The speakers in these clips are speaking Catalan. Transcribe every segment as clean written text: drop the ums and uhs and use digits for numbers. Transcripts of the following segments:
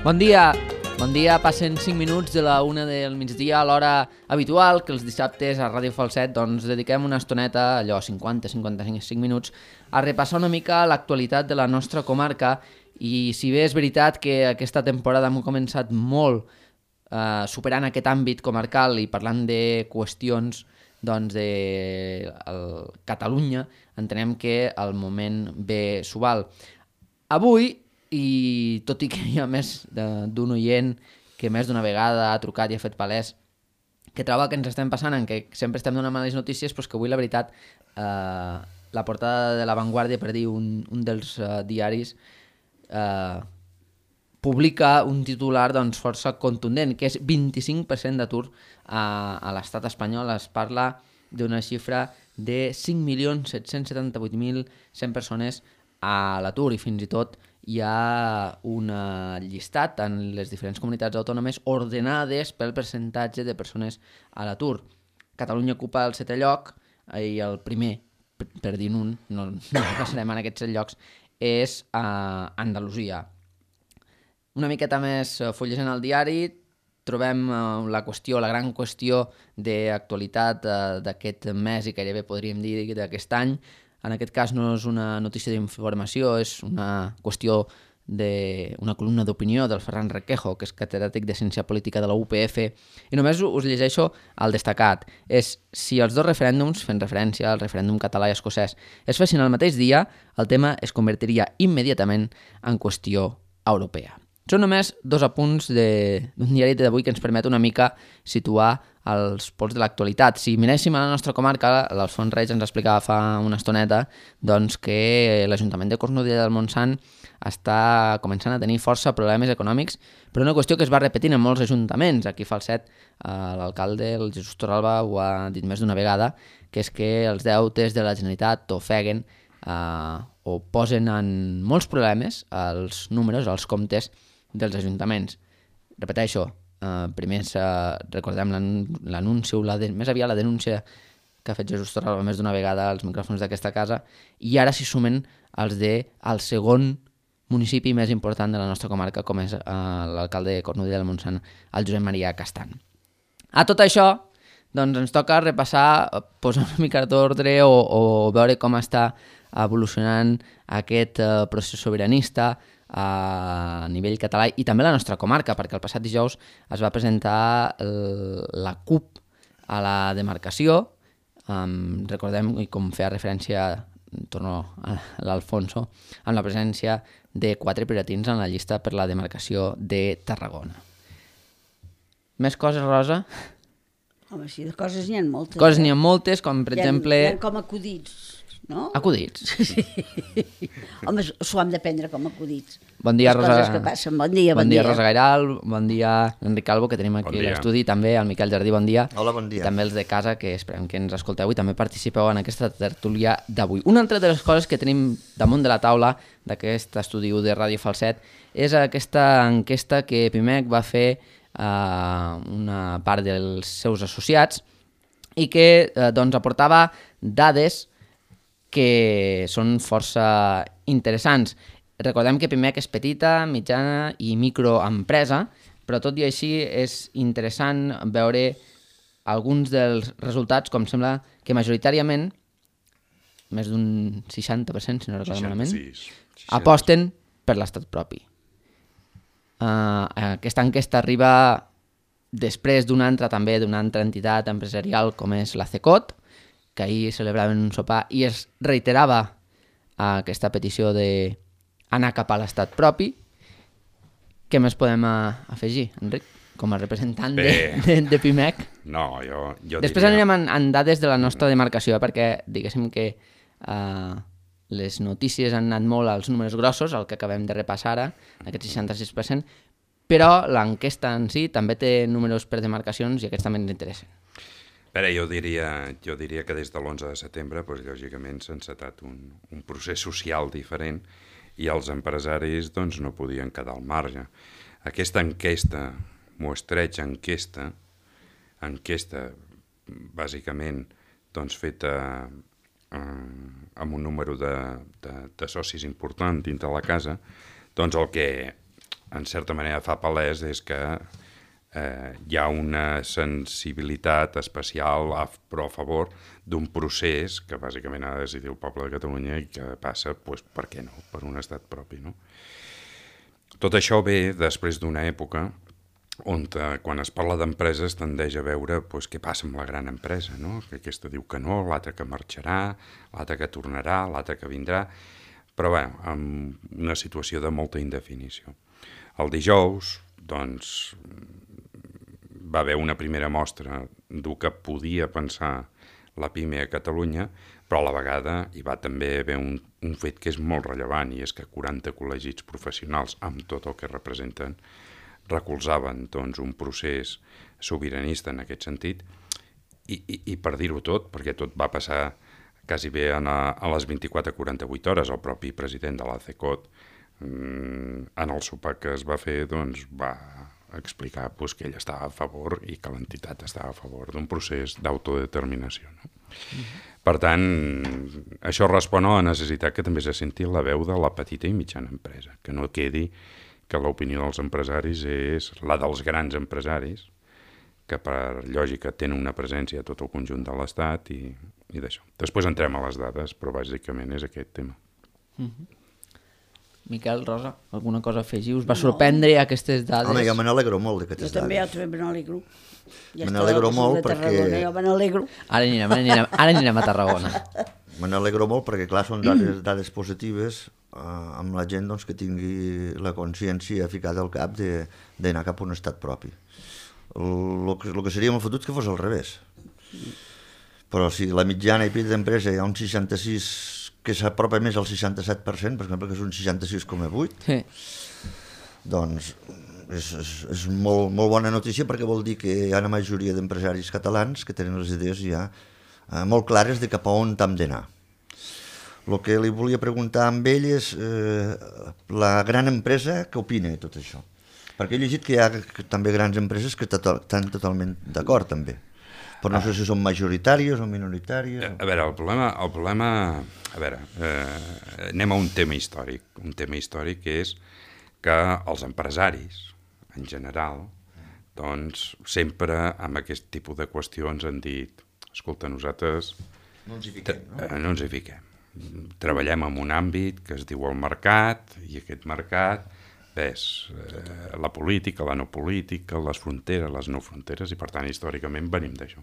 Bon dia, passen 5 minuts de la 1 del migdia a l'hora habitual, que els dissabtes a Ràdio Falset doncs dediquem una estoneta, allò 50-55 minuts, a repassar una mica l'actualitat de la nostra comarca. I si bé és veritat que aquesta temporada hem començat molt superant aquest àmbit comarcal i parlant de qüestions doncs, de Catalunya, entenem que el moment ve s'ho val. Avui, i tot i que hi ha més d'un oient que més d'una vegada ha trucat i ha fet palès que troba que ens estem passant en que sempre estem donant males notícies, però que avui la veritat la portada de La Vanguardia, per dir un dels diaris, publica un titular doncs, força contundent, que és 25% d'atur a l'estat espanyol. Es parla d'una xifra de 5.778.100 persones a l'atur, i fins i tot hi ha un llistat en les diferents comunitats autònomes ordenades pel percentatge de persones a l'atur. Catalunya ocupa el 7è lloc i el primer, per dir un, no passarem en aquests 7 llocs, és Andalusia. Una miqueta més fullegant el diari, trobem la gran qüestió d'actualitat d'aquest mes i gairebé podríem dir d'aquest any. En aquest cas no és una notícia d'informació, és una qüestió d'una columna d'opinió del Ferran Requejo, que és catedràtic de Ciència Política de la UPF, i només us llegeixo el destacat. És: si els dos referèndums, fent referència al referèndum català i escocès, es fessin el mateix dia, el tema es convertiria immediatament en qüestió europea. Són només 2 apunts d'un diari d'avui que ens permet una mica situar els pols de l'actualitat. Si miréssim a la nostra comarca, l'Alfons Reig ens explicava fa una estoneta doncs, que l'Ajuntament de Cornudella del Montsant està començant a tenir força problemes econòmics, però una qüestió que es va repetint en molts ajuntaments. Aquí a Falset, l'alcalde, el Jesús Torralba, ho ha dit més d'una vegada, que és que els deutes de la Generalitat ofeguen o posen en molts problemes els números, els comptes dels ajuntaments. Repeteixo, primer recordem l'anunci, més aviat la denúncia que ha fet Jesús Torralba més d'una vegada als micròfons d'aquesta casa, i ara s'hi sumen els del segon municipi més important de la nostra comarca, com és l'alcalde de Cornudella del Montsant, el Josep Maria Castan. A tot això, doncs ens toca repassar, posar una mica d'ordre o veure com està evolucionant aquest procés sobiranista a nivell català i també a la nostra comarca, perquè el passat dijous es va presentar la CUP a la demarcació. Recordem, i com feia referència, torno a l'Alfonso, amb la presència de 4 piratins en la llista per la demarcació de Tarragona. Més coses, Rosa? Home, sí, de coses n'hi ha moltes. Coses n'hi ha moltes, com per exemple... Hi ha com acudits, no? Acudits? Sí. Home, s'ho hem de prendre com acudits. Bon dia, Rosa. Les coses que passen. Bon dia. Bon dia, Rosa Gairal. Bon dia, Enric Calvo, que tenim aquí a l'estudi. També el Miquel Jardí, bon dia. Hola, bon dia. I també els de casa, que esperem que ens escolteu i també participeu en aquesta tertúlia d'avui. Una altra de les coses que tenim damunt de la taula d'aquest estudi de Ràdio Falset és aquesta enquesta que Pimec va fer una part dels seus associats i que doncs, aportava dades que són força interessants. Recordem que Pimec és petita, mitjana i microempresa, però tot i així és interessant veure alguns dels resultats, com sembla que majoritàriament, més d'un 60%, si no recordo malament, aposten per l'estat propi. Aquesta enquesta arriba després d'una altra entitat empresarial com és la CECOT, que ahir celebraven un sopar i es reiterava aquesta petició d'anar cap a l'estat propi. Què més podem afegir, Enric, com a representant de Pimec? No, jo després anirem en dades de la nostra demarcació, perquè diguéssim que les notícies han anat molt als números grossos, el que acabem de repassar ara, aquest 66%, però l'enquesta en si també té números per demarcacions i aquests també ens interessen. Jo diria que des de l'11 de setembre, doncs, lògicament, s'ha encetat un procés social diferent i els empresaris doncs, no podien quedar al marge. Aquesta enquesta, mostreig enquesta bàsicament doncs, feta amb un número de socis important dintre la casa, doncs el en certa manera fa palès és que hi ha una sensibilitat especial però a favor d'un procés que bàsicament ha de decidir el poble de Catalunya i que passa, doncs, per què no?, per un estat propi, no? Tot això ve després d'una època on quan es parla d'empreses tendeix a veure què passa amb la gran empresa, no? Que aquesta diu que no, l'altra que marxarà, l'altra que tornarà, l'altra que vindrà, però bé, amb una situació de molta indefinició. El dijous, doncs, va haver una primera mostra del que podia pensar la PIME a Catalunya, però a la vegada hi va també haver un fet que és molt rellevant, i és que 40 col·legis professionals, amb tot el que representen, recolzaven doncs, un procés sobiranista en aquest sentit, i per dir-ho tot, perquè tot va passar quasi bé a les 24-48 hores, el propi president de l'ACECOT, en el sopar que es va fer, doncs, va explicar que ell estava a favor i que l'entitat estava a favor d'un procés d'autodeterminació. No? Per tant, això respon a la necessitat que també se senti la veu de la petita i mitjana empresa, que no quedi que l'opinió dels empresaris és la dels grans empresaris, que per lògica tenen una presència a tot el conjunt de l'Estat i d'això. Després entrem a les dades, però bàsicament és aquest tema. Miquel, Rosa, alguna cosa a afegir? Us va sorprendre aquestes dades? Home, jo me n'alegro molt d'aquestes dades. Jo també me n'alegro. Me n'alegro molt perquè... Jo me n'alegro. Ara anirem a Tarragona. Me n'alegro molt perquè, clar, són dades positives amb la gent doncs, que tingui la consciència ficada al cap d'anar cap a un estat propi. El que seria molt fotut que fos al revés. Però si la mitjana i petita d'empresa hi ha un 66%, que s'apropa més al 67%, per exemple, que és un 66,8%, Sí. doncs és molt bona notícia perquè vol dir que hi ha una majoria d'empresaris catalans que tenen les idees ja molt clares de cap a on hem d'anar. El que li volia preguntar amb ell és la gran empresa, què opina de tot això? Perquè he llegit que hi ha també grans empreses que estan totalment d'acord també. Però no sé si són majoritàries o minoritàries. A veure, el problema a veure, anem a un tema històric que és que els empresaris, en general, doncs sempre amb aquest tipus de qüestions han dit, escolta, nosaltres No ens hi fiquem, no? No ens hi fiquem. Treballem en un àmbit que es diu el mercat, i aquest mercat ves la política, la no política, les fronteres, les no fronteres, i per tant històricament venim d'això.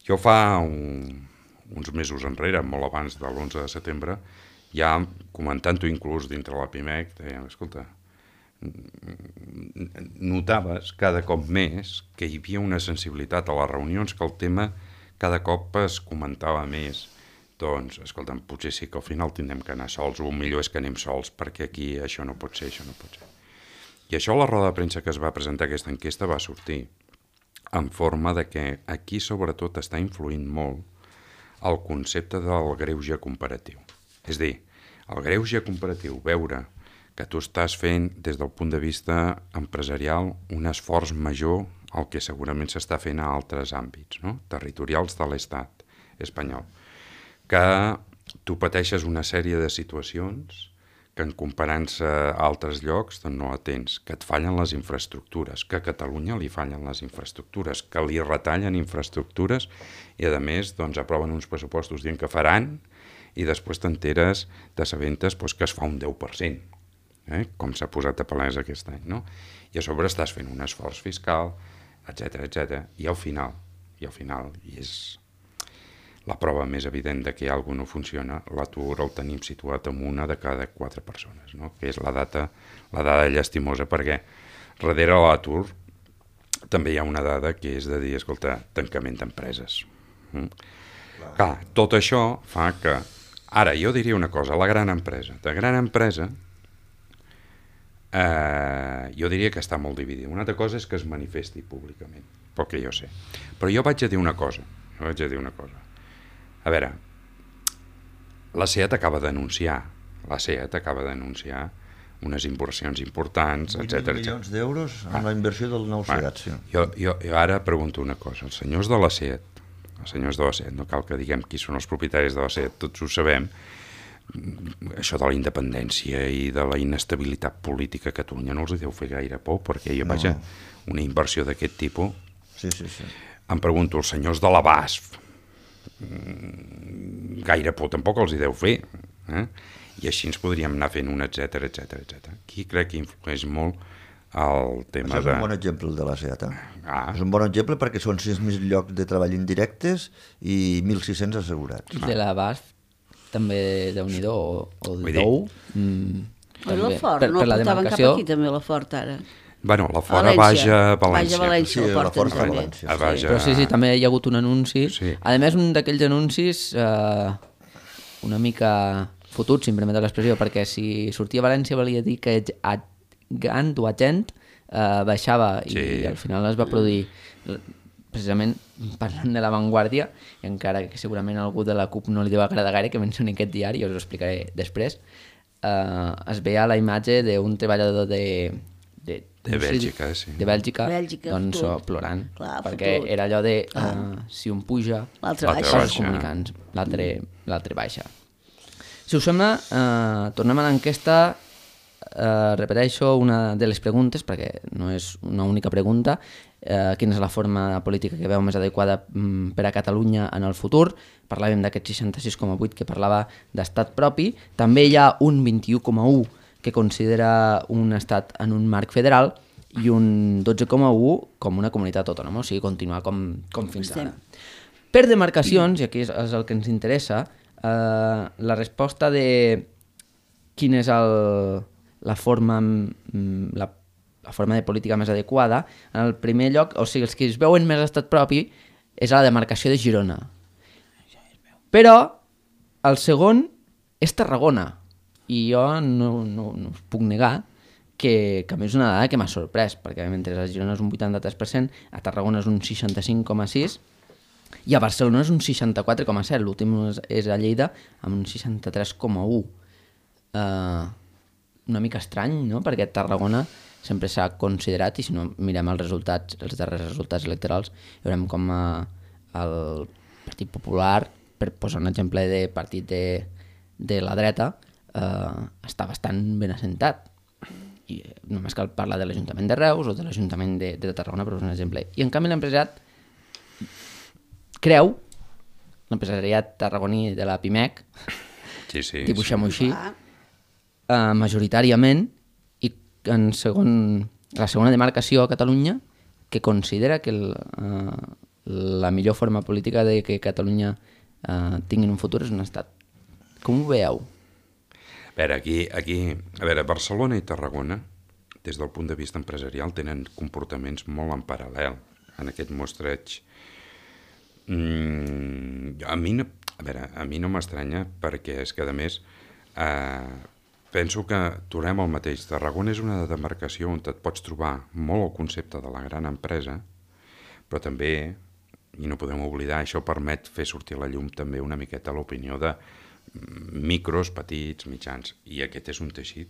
Jo fa uns mesos enrere, molt abans de l'11 de setembre, ja comentant-ho inclús dintre la PIMEC, deien, escolta, notaves cada cop més que hi havia una sensibilitat a les reunions, que el tema cada cop es comentava més. Doncs, escolta'm, potser sí que al final tindrem que anar sols, o millor és que anem sols, perquè aquí això no pot ser, això no pot ser. I això a la roda de premsa que es va presentar aquesta enquesta va sortir en forma de que aquí sobretot està influint molt el concepte del greuge comparatiu. És a dir, el greuge comparatiu, veure que tu estàs fent des del punt de vista empresarial un esforç major al que segurament s'està fent a altres àmbits, no? Territorials de l'estat espanyol, que tu pateixes una sèrie de situacions que en comparant-se a altres llocs doncs no la tens, que et fallen les infraestructures, que a Catalunya li fallen les infraestructures, que li retallen infraestructures i a més doncs, aproven uns pressupostos dient que faran i després t'enteres, t'assabentes doncs, que es fa un 10%, com s'ha posat a palès aquest any, no? I a sobre estàs fent un esforç fiscal, etc. I al final, i és la prova més evident de que alguna cosa no funciona, l'atur el tenim situat en una de cada 4 persones, no? Que és la dada llastimosa, perquè darrere l'atur també hi ha una dada que és de dir, escolta, tancament d'empreses. Clar, tot això fa que, ara jo diria una cosa, de gran empresa, jo diria que està molt dividida. Una altra cosa és que es manifesti públicament, pel que jo sé. Però jo vaig a dir una cosa, A veure, la SEAT acaba d'anunciar unes inversions importants, etc. 8 milions d'euros amb la inversió del nou SEAT. Sí. Jo ara pregunto una cosa. Els senyors de la SEAT, no cal que diguem qui són els propietaris de la SEAT, tots ho sabem, això de la independència i de la inestabilitat política a Catalunya no els deu fer gaire por, perquè vaja, una inversió d'aquest tipus... Sí. Em pregunto, els senyors de la BASF, gaire por tampoc els hi deu fer, i així ens podríem anar fent un etcètera. Aquí crec que influeix molt el tema Això és un bon exemple, el de la SEAT. És un bon exemple perquè són 6.000 llocs de treball indirectes i 1.600 assegurats. De la BASF també Déu-n'hi-do, o Vull de Dou. La Fort, no el portaven cap aquí també, la Fort, ara. Bueno, la Fora Baja València. Sí, la Fort a València. Però sí, també hi ha hagut un anunci. Sí. A més, un d'aquells anuncis una mica fotut, si em permeteu l'expressió, perquè si sortia a València volia dir que Gant o Agent baixava i al final es va produir precisament parlant de l'avantguàrdia, i encara que segurament a algú de la CUP no li deu agradar gaire que mencioni aquest diari, us ho explicaré després, es veia la imatge d'un treballador de Bèlgica, sí. De Bèlgica, doncs plorant. Clar, perquè fotut. era allò de si un puja, L'altre baixa. els comunicants, l'altre baixa. Si us sembla, tornem a l'enquesta. Repeteixo una de les preguntes, perquè no és una única pregunta. Quina és la forma política que veu més adequada per a Catalunya en el futur? Parlàvem d'aquest 66,8 que parlava d'estat propi. També hi ha un 21,1 que considera un estat en un marc federal i un 12,1 com una comunitat autònoma, o sigui, continuar com fins ara. Per demarcacions, i aquí és el que ens interessa, la resposta de quina és la forma de política més adequada, en el primer lloc, o sigui, els que es veuen més estat propi és a la demarcació de Girona. Però el segon és Tarragona, i jo no us puc negar que a mi és una dada que m'ha sorprès, perquè mentre a Girona és un 83%, a Tarragona és un 65,6%, i a Barcelona és un 64,7%, l'últim és a Lleida amb un 63,1%. Una mica estrany, no?, perquè Tarragona sempre s'ha considerat, i si no mirem els darrers resultats electorals, veurem com el Partit Popular, per posar un exemple de partit de la dreta, està bastant ben assentat. I només cal parlar de l'Ajuntament de Reus o de l'Ajuntament de Tarragona, per un exemple. I en canvi l'empresariat creu, l'empresariat tarragoní de la PIMEC, dibuixem-ho així, majoritàriament, i en la segona demarcació a Catalunya, que considera que la millor forma política de que Catalunya tingui un futur és un estat. Com ho veieu? A veure, Barcelona i Tarragona, des del punt de vista empresarial, tenen comportaments molt en paral·lel en aquest mostreig. A mi no m'estranya, perquè és que, a més, penso que tornem al mateix. Tarragona és una demarcació on et pots trobar molt el concepte de la gran empresa, però també, i no podem oblidar, això permet fer sortir a la llum també una miqueta l'opinió de micros, petits, mitjans, i aquest és un teixit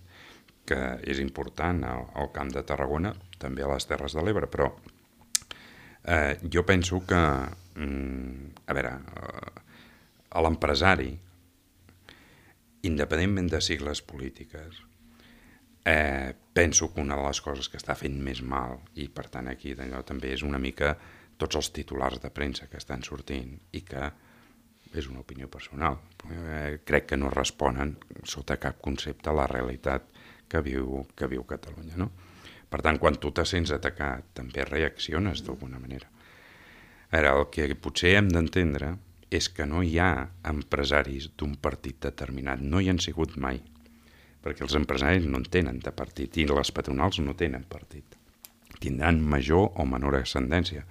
que és important al Camp de Tarragona, també a les Terres de l'Ebre, però jo penso que a l'empresari, independentment de sigles polítiques, penso que una de les coses que està fent més mal, i per tant aquí d'allò també és una mica tots els titulars de premsa que estan sortint, i que és una opinió personal. Crec que no responen sota cap concepte a la realitat que viu Catalunya, no? Per tant, quan tu te sents atacat, també reacciones d'alguna manera. Ara, el que potser hem d'entendre és que no hi ha empresaris d'un partit determinat, no hi han sigut mai, perquè els empresaris no en tenen de partit i les patronals no tenen partit. Tindran major o menor ascendència.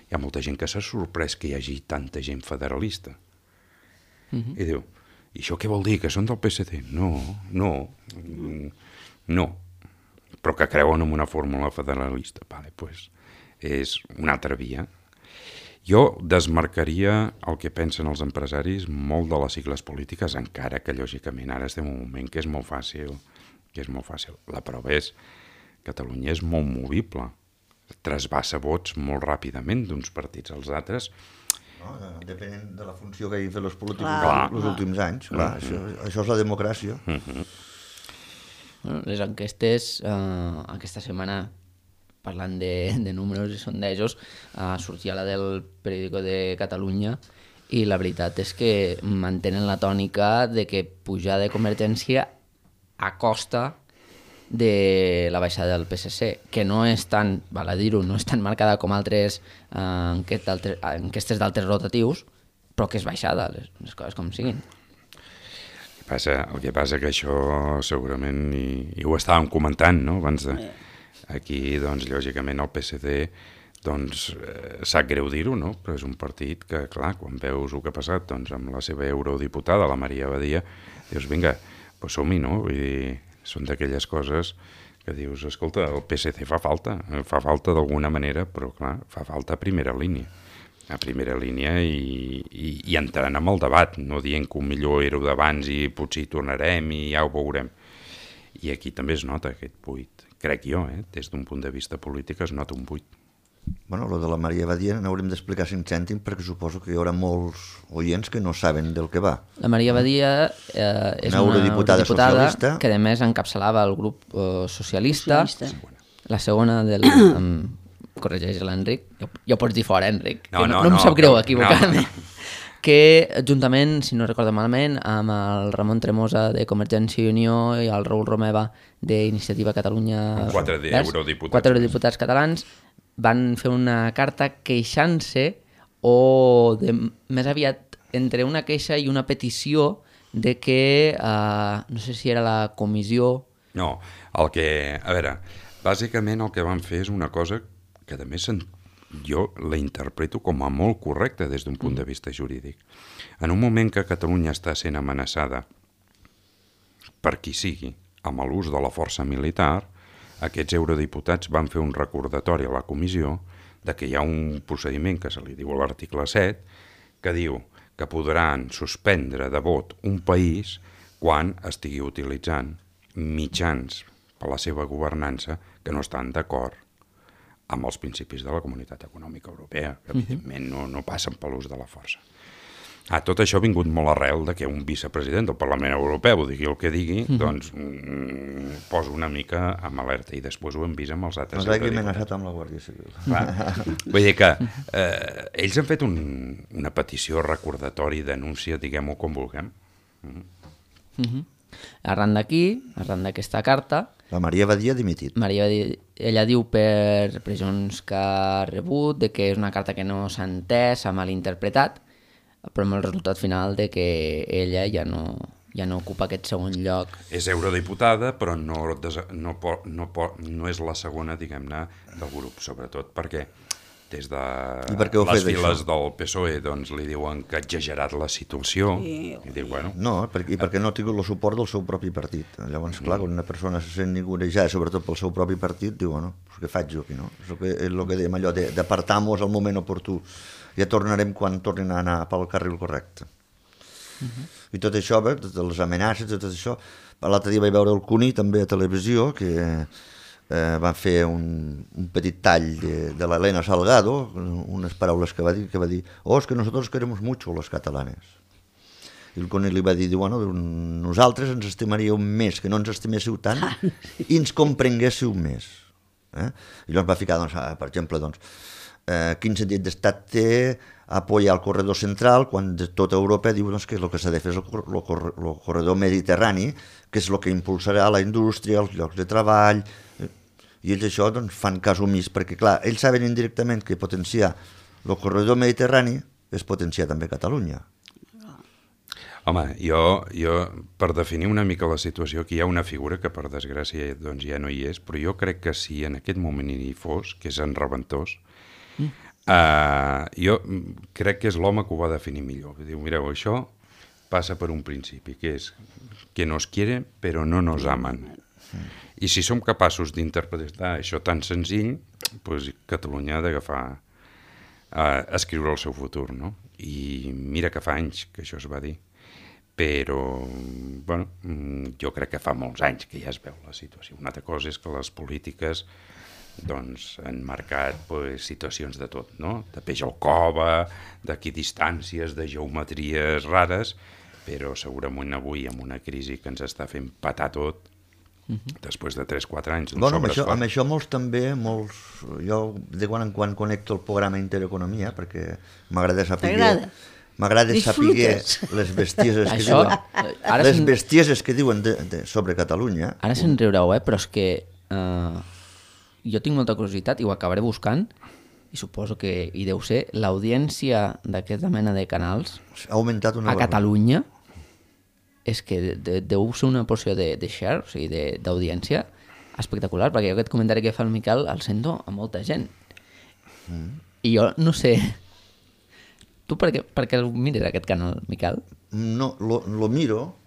Hi ha molta gent que s'ha sorprès que hi hagi tanta gent federalista. I diu, i això què vol dir, que són del PSC? No, però que creuen en una fórmula federalista. Vale, pues és una altra via. Jo desmarcaria el que pensen els empresaris molt de les sigles polítiques, encara que lògicament ara estem en un moment que és molt fàcil. La prova és que Catalunya és molt movible, trasbassa vots molt ràpidament d'uns partits als altres. No? Depenent de la funció que hagin fet els polítics Clar, els últims anys. Clar, això és la democràcia. Bueno, les enquestes, aquesta setmana, parlant de números i sondejos, sortia la del Periódico de Catalunya i la veritat és que mantenen la tònica de que pujada de Convergència a costa de la baixada del PSC, que no és tan, val a dir-ho, no és tan marcada com altres enquestes d'altres rotatius, però que és baixada, les coses com siguin. El que passa que això segurament, i ho estàvem comentant, no?, abans de... Aquí, doncs, lògicament, el PSC, doncs, sap greu dir-ho, no?, però és un partit que, clar, quan veus el que ha passat, doncs, amb la seva eurodiputada, la Maria Badia, dius, vinga, doncs som-hi, no?, vull dir, són d'aquelles coses que dius, escolta, el PSC fa falta d'alguna manera, però clar, fa falta a primera línia i entrant en el debat, no dient que millor era d'abans i potser hi tornarem i ja ho veurem. I aquí també es nota aquest buit, crec jo, des d'un punt de vista polític es nota un buit. Bueno, lo de la Maria Badia n'haurem d'explicar 5 cèntims perquè suposo que hi haurà molts oients que no saben del que va. La Maria Badia és una eurodiputada socialista que a més encapçalava el grup socialista. La segona del... corregeix l'Enric. Ja ho pots dir fora, Enric. No em sap greu equivocar-me. Que juntament, si no recordo malament, amb el Ramon Tremosa de Convergència i Unió i el Raül Romeva d'Iniciativa Catalunya... 4 eurodiputats. 4 eurodiputats catalans van fer una carta queixant-se o més aviat entre una queixa i una petició de que, no sé si era la comissió... No, a veure, bàsicament el que van fer és una cosa que a més jo la interpreto com a molt correcta des d'un punt de vista jurídic. En un moment que Catalunya està sent amenaçada per qui sigui amb l'ús de la força militar, aquests eurodiputats van fer un recordatori a la comissió de que hi ha un procediment que se li diu a l'article 7 que diu que podran suspendre de vot un país quan estigui utilitzant mitjans per a la seva governança que no estan d'acord amb els principis de la Comunitat Econòmica Europea, que evidentment no passen per l'ús de la força. Tot això ha vingut molt arrel de que un vicepresident del Parlament Europeu digui el que digui, doncs posa una mica amb alerta i després ho hem vist amb els altres eurodiputats. Doncs hagi amenaçat amb la Guàrdia Civil. Vull dir que ells han fet una petició, recordatori, denúncia, diguem-ho com vulguem. Arran d'aquí, arran d'aquesta carta... La Maria Badia ha dimitit. Ella diu per pressions que ha rebut, de que és una carta que no s'ha entès, s'ha malinterpretat, però amb el resultat final de que ella ja no ocupa aquest segon lloc. És eurodiputada, però no és la segona, diguem-ne, del grup, sobretot perquè des de les files del PSOE doncs, li diuen que ha exagerat la situació. I diu, bueno... No, perquè no ha tingut el suport del seu propi partit. Llavors, clar, quan una persona se sent ningunejada, sobretot pel seu propi partit, diu, bueno, què faig jo aquí, no? És el que dèiem allò d'apartar-nos al moment oportú. Ja tornarem quan tornin a anar pel carril correcte. I tot això, les amenaces, tot això... L'altre dia vaig veure el Cuní, també a televisió, que van fer un petit tall de l'Helena Salgado, unes paraules que va dir, és que nosotros queremos mucho los catalanes. I el Cuní li va dir, bueno, nosaltres ens estimaríeu més, que no ens estiméssiu tant, i ens comprenguéssiu més. I llavors va ficar, per exemple, quin sentit d'estat té apoyar el corredor central quan tota Europa diu que el que s'ha de fer és el corredor mediterrani, que és el que impulsarà la indústria, els llocs de treball, i ells això fan cas omís, perquè clar, ells saben indirectament que potenciar el corredor mediterrani és potenciar també Catalunya. Home, jo per definir una mica la situació, aquí hi ha una figura que per desgràcia doncs, ja no hi és, però jo crec que si en aquest moment hi fos, que és en Reventós, jo crec que és l'home que ho va definir millor. Diu, mireu, això passa per un principi, que és que nos quieren però no nos aman. I si som capaços d'interpretar això tan senzill, doncs Catalunya ha d'agafar a escriure el seu futur, no? I mira que fa anys que això es va dir. Però, bueno, jo crec que fa molts anys que ja es veu la situació. Una altra cosa és que les polítiques doncs, han marcat situacions de tot, no? De peix al cova, d'equidistàncies, de geometries rares, però segurament avui amb una crisi que ens està fent patar tot, després de 3-4 anys d'un sobreesforç. Amb això jo de quan en quan connecto el programa Intereconomia, perquè m'agrada saber les bestieses que diuen, les bestieses que diuen sobre Catalunya. Ara se'n riureu, però és que jo tinc molta curiositat i ho acabaré buscant, i suposo que hi deu ser l'audiència d'aquesta mena de canals ha augmentat a Catalunya. És que deu ser una porció de share, o sigui, d'audiència espectacular, perquè jo aquest comentari que fa el Miquel el sento a molta gent. I jo no sé... Tu per què el mires, aquest canal, Miquel? No, lo miro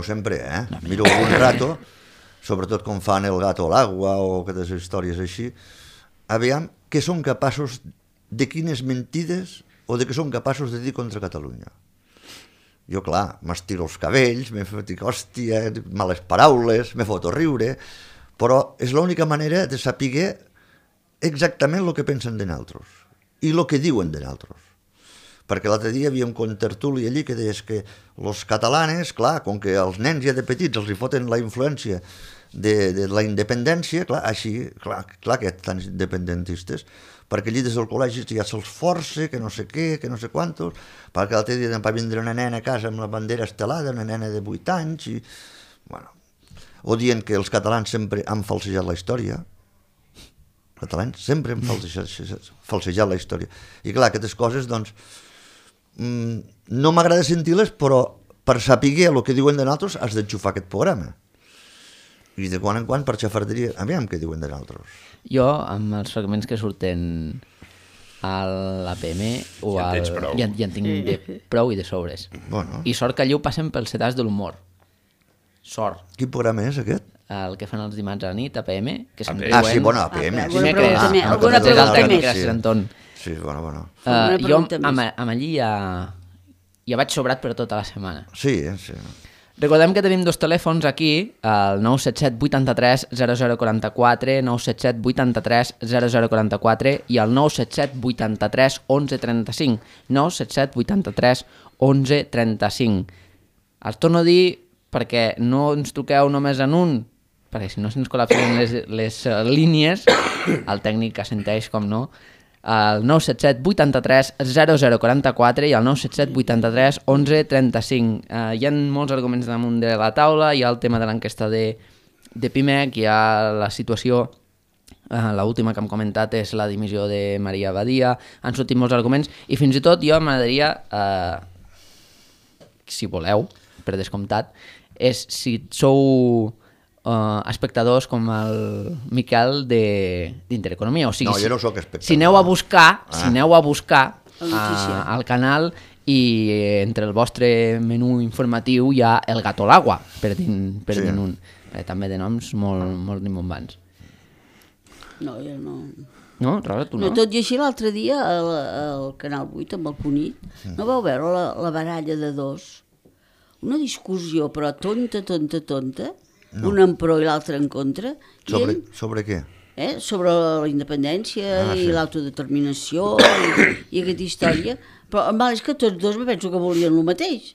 sempre, miro un rato, sobretot com fan El gato al agua o aquestes històries així, aviam què són capaços, de quines mentides o de què són capaços de dir contra Catalunya. Jo, clar, m'estiro els cabells, dic, hòstia, males paraules, me foto a riure, però és l'única manera de saber exactament el que pensen de nosaltres i el que diuen de nosaltres. Perquè l'altre dia hi havia un contertuli allí que deies que els catalanes, clar, com que als nens ja de petits els hi foten la influència de la independència, clar, així, clar que estan independentistes, perquè allí des del col·legi ja se'ls força, que no sé què, que no sé quantos, perquè l'altre dia va vindre una nena a casa amb la bandera estelada, una nena de 8 anys, i, bueno, o dient que els catalans sempre han falsejat la història, els catalans sempre han falsejat la història, i clar, aquestes coses, doncs, no m'agrada sentir-les, però per saber el que diuen de nosaltres has d'enxufar aquest programa. I de quan en quan per xafarderia, aviam què diuen de nosaltres. Jo, amb els fragments que surten a l'APM ja en tinc de prou i de sobres. Bueno. I sort que allí ho passen pel sedàs de l'humor. Sort. Quin programa és aquest? El que fan els dimarts a la nit, APM, que se'n diuen... sí, bueno, APM. Alguna pregunta més. Sí, bueno. Jo amb allí ja vaig sobrat per tota la setmana. Sí. Recordem que tenim dos telèfons aquí, el 977 83 0044, 977 83 0044 i el 977 83 1135, 977 83 1135. Els torno a dir perquè no ens truqueu només en un, perquè si no se'ns col·lapsen les línies, el tècnic assenteix, com no, el 977 83 0044 i el 977 83 1135. Hi ha molts arguments damunt de la taula, hi ha el tema de l'enquesta de PIMEC, hi ha la situació, l'última que hem comentat és la dimissió de Maria Badia, han sortit molts arguments i fins i tot jo m'agradaria, si voleu, per descomptat, és si sou espectadors com el Miquel d'Intereconomia. O sigui, no, jo no soc espectador. Si aneu a buscar al canal i entre el vostre menú informatiu hi ha El gato al agua, per dir un. També de noms molt rimbombants. No, jo no. No, Rosa, tu no? No, tot i així l'altre dia al Canal 8 amb el Cunit no vau veure la baralla de dos? Una discussió, però tonta, no. Un en pro i l'altre en contra. Sobre què? Sobre la independència i l'autodeterminació i aquesta història. Però el mal és que tots dos penso que volien el mateix.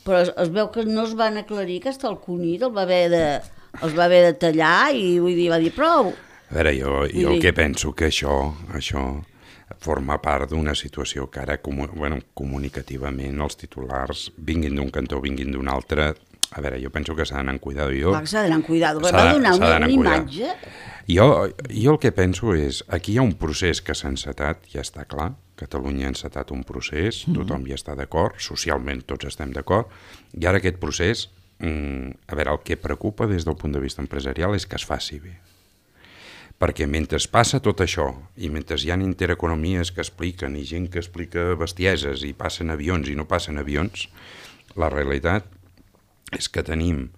Però es veu que no es van aclarir, que hasta el Cunit els va haver de tallar i vull dir, va dir prou. A veure, jo el que penso que això forma part d'una situació que ara comunicativament els titulars vinguin d'un cantó, vinguin d'un altre. A veure, jo penso que s'ha d'anar amb cuidado. S'ha d'anar amb cuidado, va donar una imatge. Jo el que penso és, aquí hi ha un procés que s'ha encetat, ja està clar, Catalunya ha encetat un procés, tothom hi està d'acord, socialment tots estem d'acord, i ara aquest procés, a veure, el que preocupa des del punt de vista empresarial és que es faci bé. Perquè mentre passa tot això, i mentre hi ha intereconomies que expliquen, i gent que explica bestieses, i passen avions i no passen avions, la realitat és que tenim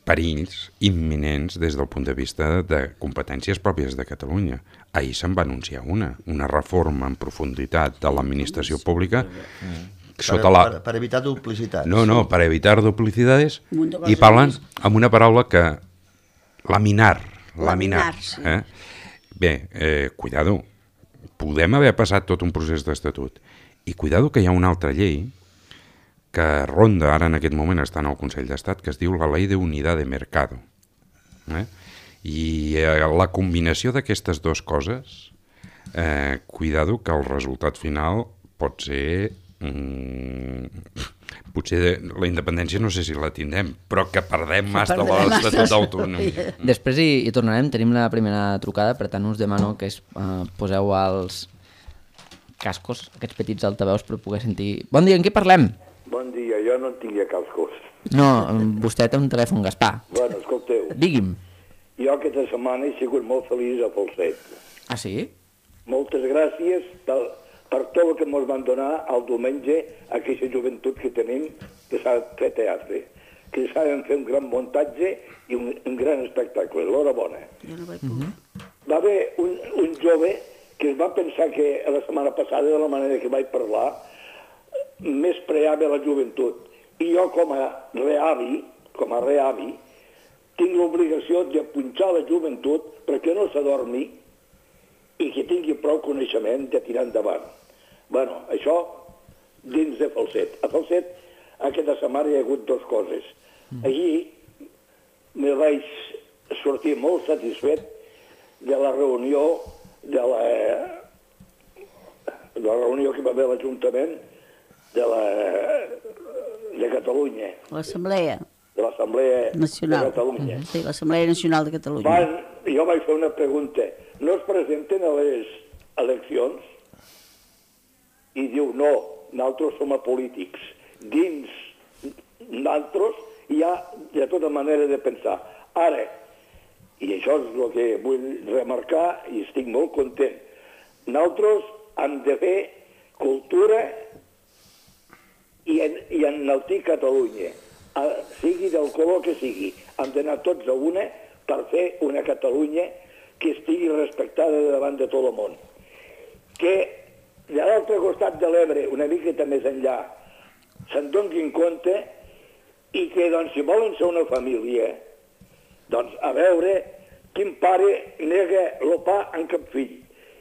perills imminents des del punt de vista de competències pròpies de Catalunya. Ahir se'n va anunciar una reforma en profunditat de l'administració pública per evitar duplicitats. No, per evitar duplicitats, i parlen amb una paraula que laminar Laminar-se. Bé, cuidado, podem haver passat tot un procés d'estatut. I cuidado que hi ha una altra llei que ronda ara en aquest moment, està en el Consell d'Estat, que es diu la Ley de Unidad de Mercado. I la combinació d'aquestes dues coses, cuidado que el resultat final pot ser... potser la independència no sé si la tindrem, però que perdem massa de l'Estatut d'Autonomia. Després hi tornarem, tenim la primera trucada, per tant us demano que poseu els cascos, aquests petits altaveus per poder sentir... Bon dia, en què parlem? Bon dia, jo no en tinc cascos. No, vostè té un telèfon, Gaspar. Bueno, escolteu, Digui'm. jo aquesta setmana he sigut molt feliç a Falset. Ah, sí? Moltes gràcies per tot el que ens van donar el diumenge a aquesta joventut que tenim que s'ha fet teatre, que saben fer un gran muntatge i un gran espectacle. L'horabona. Jo no vaig poder. Va haver un jove que es va pensar que la setmana passada, de la manera que vaig parlar, més preava la joventut. I jo, com a reavi, tinc l'obligació de punxar la joventut perquè no s'adormi i que tingui prou coneixement de tirar endavant. Bueno, això dins de Falset. A Falset aquesta setmana hi ha hagut dues coses. Allí me vaig sortir molt satisfet de la reunió que va haver a l'Ajuntament de Catalunya, L'Assemblea de l'Assemblea Nacional. de Catalunya. Sí, l'Assemblea Nacional de Catalunya. Jo vaig fer una pregunta. No es presenten a les eleccions? I diu, no, nosaltres som polítics. Dins nosaltres hi ha de tota manera de pensar. Ara, i això és el que vull remarcar i estic molt content, nosaltres hem de fer cultura i enaltir Catalunya, sigui del color que sigui. Hem d'anar tots a una per fer una Catalunya que estigui respectada davant de tot el món. Que de l'altre costat de l'Ebre, una miqueta més enllà, se'n donin compte i que, doncs, si volen ser una família, doncs, a veure, quin pare nega el pa en cap fill,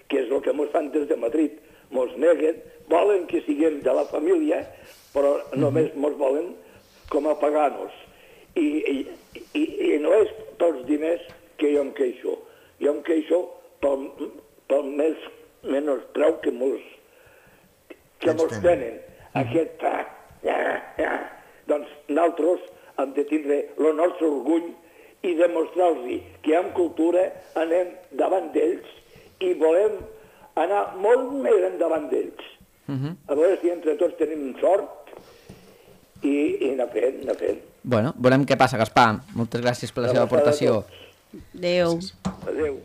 que és el que mos fan des de Madrid. Mos neguen, volen que siguem de la família, però només mos volen com a paganos. I no és pels diners que jo em queixo. Jo em queixo pel menys preu que mos tenen. Aquest... Doncs nosaltres hem de tindre el nostre orgull i demostrar-los que amb cultura anem davant d'ells i volem anar molt més endavant d'ells. A veure si entre tots tenim sort i anar fent. Bueno, veurem què passa, Gaspar. Moltes gràcies per la seva aportació. Adéu. Adéu.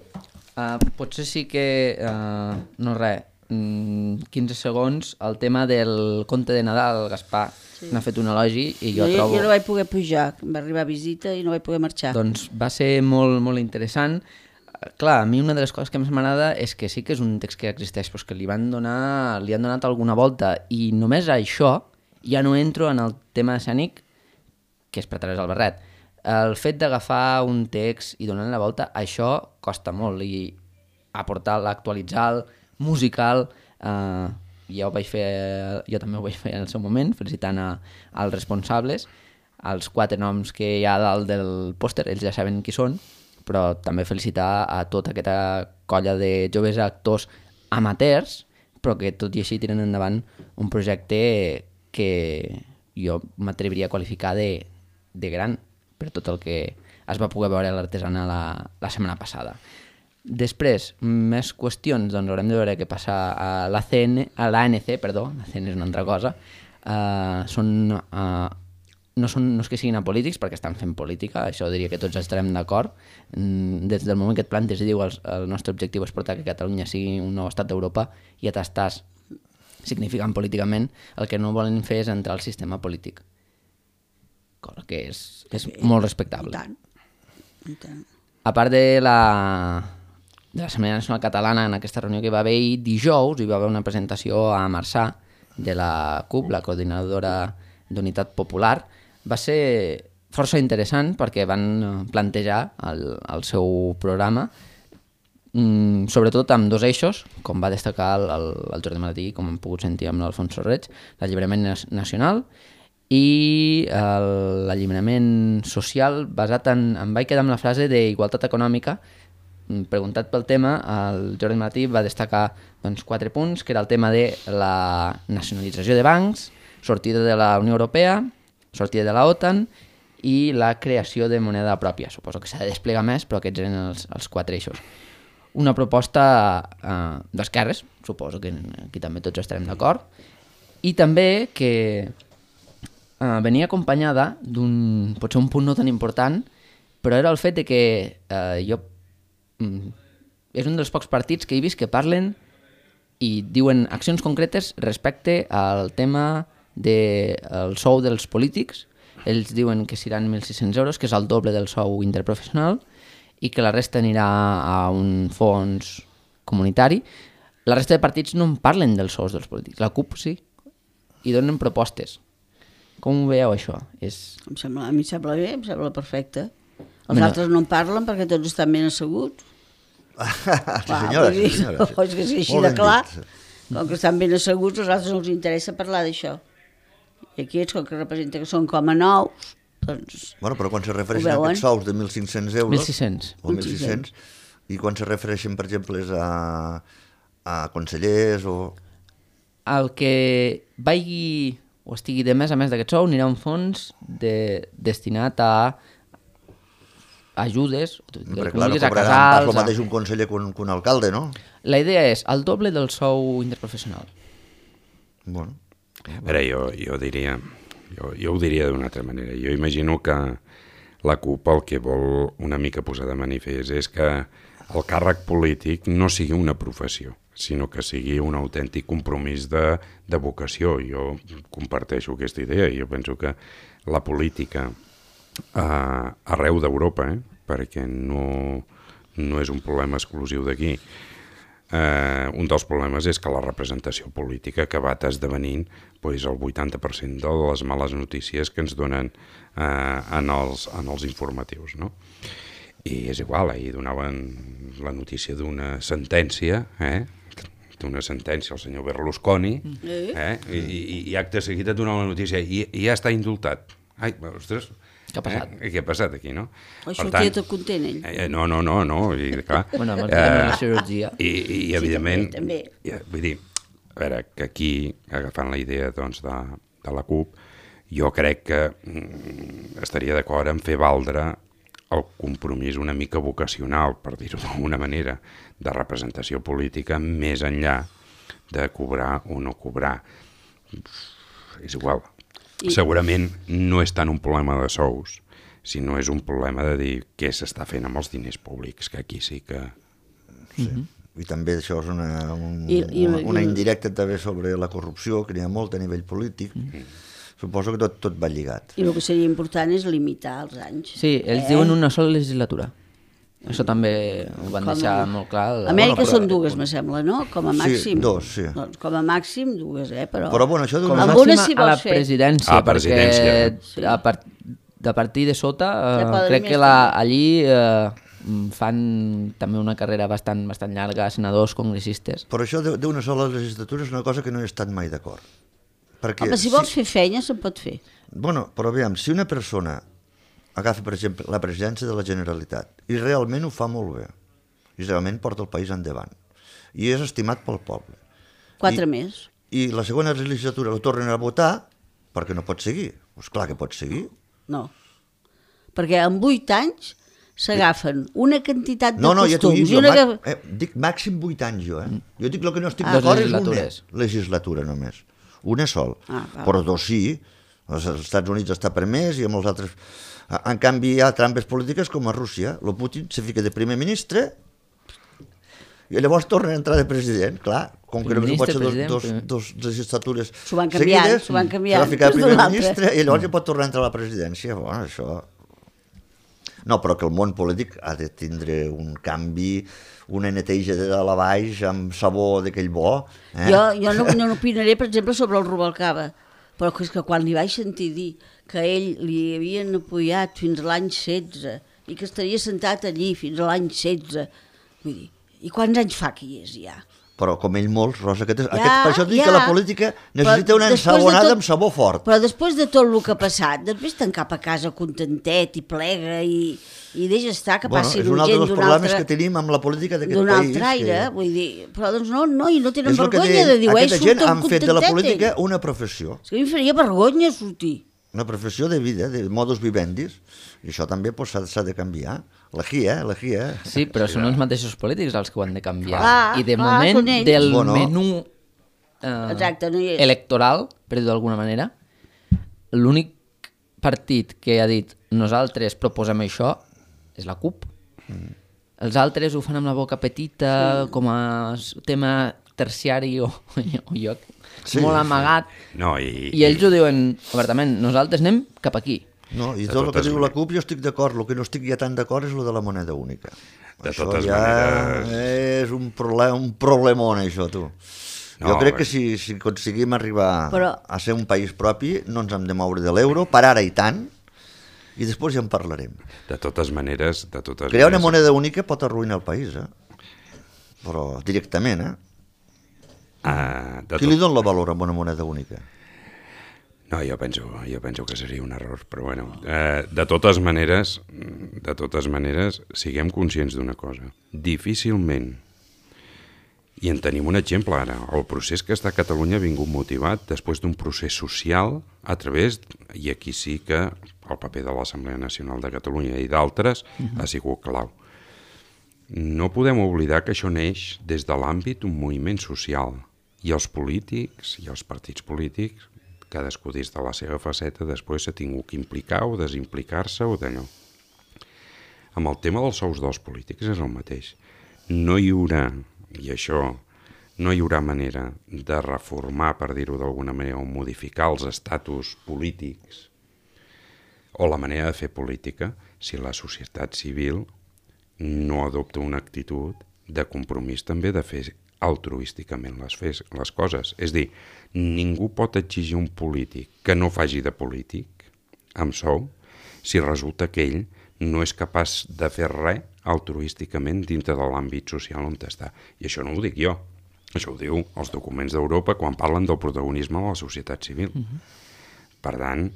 Potser sí que... no res, 15 segons, el tema del conte de Nadal, Gaspar. Sí. N'ha fet un elogi i jo trobo... Jo no vaig poder pujar, em va arribar a visita i no vaig poder marxar. Doncs va ser molt, molt interessant. Clar, a mi una de les coses que més m'agrada és que sí que és un text que existeix, però que li han donat alguna volta, i només això ja no entro en el tema escènic, que és per Teresa Albarret. El fet d'agafar un text i donar-li la volta, això costa molt, i aportar-lo, actualitzar-lo, musical... jo també ho vaig fer en el seu moment, felicitant als responsables, els 4 noms que hi ha dalt del pòster, ells ja saben qui són, però també felicitar a tota aquesta colla de joves actors amateurs, però que tot i així tiren endavant un projecte que jo m'atreviria a qualificar de gran, per tot el que es va poder veure a l'Artesana la setmana passada. Després, més qüestions, doncs haurem de veure què passa a l'ANC, l'ACN és una altra cosa, no és que siguin apolítics, perquè estan fent política, això diria que tots estarem d'acord. Des del moment que et plantes i diu el nostre objectiu és portar que Catalunya sigui un nou estat d'Europa, i ja t'estàs significant políticament, el que no volen fer és entrar al sistema polític, cosa que és molt respectable. I tant. A part de l'Assemblea Nacional Catalana, en aquesta reunió que va haver dijous, hi va haver una presentació a Marçà de la CUP, la Coordinadora d'Unitat Popular. Va ser força interessant perquè van plantejar el seu programa, sobretot amb dos eixos, com va destacar el Jordi Martí, com hem pogut sentir amb l'Alfonso Reig, l'alliberament nacional i l'alliberament social basat en... Em vaig quedar amb la frase d'igualtat econòmica. Preguntat pel tema, el Jordi Martí va destacar 4 punts, que era el tema de la nacionalització de bancs, sortida de la Unió Europea, sortida de la OTAN i la creació de moneda pròpia. Suposo que s'ha de desplegar més, però aquests eren els 4 eixos. Una proposta d'esquerres, suposo que aquí també tots estarem d'acord, i també que venia acompanyada d'un, potser un punt no tan important, però era el fet de que és un dels pocs partits que he vist que parlen i diuen accions concretes respecte al tema del sou dels polítics. Ells diuen que seran 1.600 euros, que és el doble del sou interprofessional, i que la resta anirà a un fons comunitari. La resta de partits no en parlen dels sous dels polítics. La CUP sí, i donen propostes. Com ho veieu, això? A mi em sembla bé, em sembla perfecte. Els altres no en parlen perquè tots estan ben asseguts. Senyora. És que és així de clar. Com que estan ben asseguts, als altres no els interessa parlar d'això. I aquí és com que representa que són com a nous, doncs... Bueno, però quan se refereixen a aquests sous de 1.500 euros... 1.600. O 1.600, i quan se refereixen, per exemple, a consellers o... El que vagi o estigui de més a més d'aquest sou anirà a un fons destinat a ajudes, Però clar, no cobraran pas el mateix un conseller que un alcalde, no? La idea és el doble del sou interprofessional. Bueno. A veure, jo diria... Jo ho diria d'una altra manera. Jo imagino que la CUP el que vol una mica posar de manifest és que el càrrec polític no sigui una professió, sinó que sigui un autèntic compromís de vocació. Jo comparteixo aquesta idea i jo penso que la política arreu d'Europa, perquè no és un problema exclusiu d'aquí. Un dels problemes és que la representació política ha acabat esdevenint el 80% de les males notícies que ens donen en els informatius, no? I és igual, ahir donaven la notícia d'una sentència, al senyor Berlusconi, i acte seguit et donava la notícia i ja està indultat. Ai, ostres, què ha passat? Què ha passat aquí, no? O sortia tot content, ell. No. I, clar, bueno, amb la cirurgia. I evidentment, també. Vull dir, a veure, que aquí, agafant la idea doncs, de la CUP, jo crec que estaria d'acord en fer valdre el compromís una mica vocacional, per dir-ho d'alguna manera, de representació política més enllà de cobrar o no cobrar. És igual. Segurament no és tant un problema de sous, sinó és un problema de dir què s'està fent amb els diners públics, que aquí sí que... Sí. I també això és una indirecta també sobre la corrupció, que n'hi ha molt a nivell polític. Suposo que tot va lligat. I el que seria important és limitar els anys. Sí, ells diuen una sola legislatura. Això també ho van deixar molt clar. Amèrica són dues, me sembla, no? Com a màxim. Sí, dos, sí. Doncs com a màxim dues, però... Però bueno, això com a màxim a la presidència, perquè a partir de sota crec que allí fan també una carrera bastant llarga, senadors, congressistes. Però això d'una sola legislatura és una cosa que no he estat mai d'acord. Home, si vols fer feina, se'n pot fer. Bueno, però aviam, si una persona agafa, per exemple, la presidència de la Generalitat i realment ho fa molt bé, i realment porta el país endavant, i és estimat pel poble. 4 més. I la segona legislatura la tornen a votar perquè no pot seguir. Doncs clar que pot seguir. No, perquè en 8 anys s'agafen una quantitat de costums. Ja t'ho dic, dic màxim 8 anys jo. Jo dic el que no estic d'acord és una legislatura només. Una sol. Però 2 sí. Als Estats Units està permès i amb els altres... En canvi hi ha trampes polítiques com a Rússia. El Putin se fica de primer ministre i llavors torna a entrar de president. Clar, com que no pot ser dos legislatures seguides, s'ha de ficar de primer ministre i llavors ja pot tornar a entrar a la presidència. Bueno, això... No, però que el món polític ha de tindre un canvi, una neteja de dalt a baix amb sabó d'aquell bo. Jo no opinaré, per exemple, sobre el Rubalcaba, però és que quan li vaig sentir dir que ell li havien apoyat fins a l'any 16 i que estaria sentat allí fins a l'any 16, vull dir, i quants anys fa que hi és ja? Però com ell molts, Rosa, per això dic que la política necessita una ensabonada amb sabó fort. Però després de tot el que ha passat, després te'n cap a casa contentet i plega i deixa estar que passi gent és un altre dels problemes que tenim amb la política d'aquest país. D'un altre aire, vull dir, però doncs no, i no tenen vergonya de dir, aquesta gent han fet de la política una professió. És que a mi faria vergonya sortir. Una professió de vida, de modus vivendi, i això també s'ha de canviar. La GIA. Sí, però són els mateixos polítics els que ho han de canviar. I de clar, moment, del menú exacte, no hi és. electoral, per dir-ho d'alguna manera, l'únic partit que ha dit nosaltres proposem això és la CUP. Els altres ho fan amb la boca petita, com a tema terciari o lloc molt amagat. No, I ells ho diuen obertament, nosaltres anem cap aquí. No, i tot el que diu la CUP jo estic d'acord, el que no estic ja tan d'acord és el de la moneda única. De això totes ja maneres... és un problemón, això, tu. Jo crec que si aconseguim arribar a ser un país propi, no ens hem de moure de l'euro, per ara i tant, i després ja en parlarem. De totes maneres... Crear una moneda única pot arruïnar el país, però directament, Qui li dona la valor a una moneda única? No, jo penso que seria un error, però bueno, de totes maneres, siguem conscients d'una cosa. Difícilment, i en tenim un exemple ara, el procés que està a Catalunya ha vingut motivat després d'un procés social a través, i aquí sí que el paper de l'Assemblea Nacional de Catalunya i d'altres ha sigut clau. No podem oblidar que això neix des de l'àmbit d'un moviment social, i els polítics i els partits polítics, cadascú dins de la seva faceta, després s'ha tingut que implicar o desimplicar-se o d'allò. Amb el tema dels sous dels polítics és el mateix. No hi haurà, i això, no hi haurà manera de reformar, per dir-ho d'alguna manera, o modificar els estatus polítics o la manera de fer política si la societat civil no adopta una actitud de compromís també de fer altruísticament les coses. És dir, ningú pot exigir un polític que no faci de polític amb sou si resulta que ell no és capaç de fer res altruísticament dintre de l'àmbit social on està. I això no ho dic jo, això ho diu els documents d'Europa quan parlen del protagonisme de la societat civil. Per tant,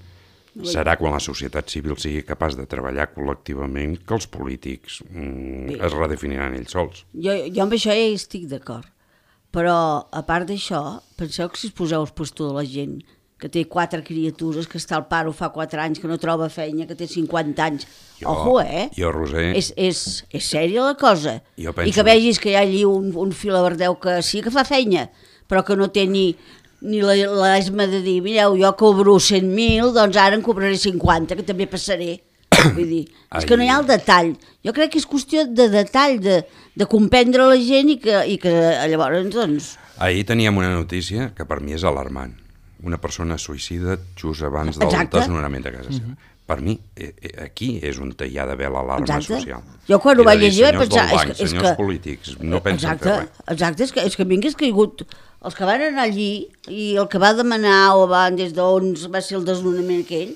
serà quan la societat civil sigui capaç de treballar col·lectivament que els polítics es redefiniran ells sols. Jo amb això ja hi estic d'acord, però a part d'això, penseu que si us poseu al puesto de la gent que té 4 criatures, que està al paro fa 4 anys, que no troba feina, que té 50 anys. Ojo, Jo, Roser... És sèria la cosa. Penso... I que vegis que hi ha allí un filaverdeu que sí que fa feina, però que no té ni l'esma de dir, mireu, jo cobro 100.000, doncs ara en cobraré 50, que també passaré. Vull dir, és que no hi ha el detall. Jo crec que és qüestió de detall, de comprendre la gent i que llavors, doncs... Ahir teníem una notícia que per mi és alarmant. Una persona suïcida just abans del desnonament de casa seva. Per mi, aquí és on hi ha d'haver l'alarma social. Jo quan ho vaig llegir vaig pensar... Senyors polítics, no pensen fer res. Exacte, és que a mi m'hagués caigut... Els que van anar allí i el que va demanar o van des d'on va ser el desnonament aquell,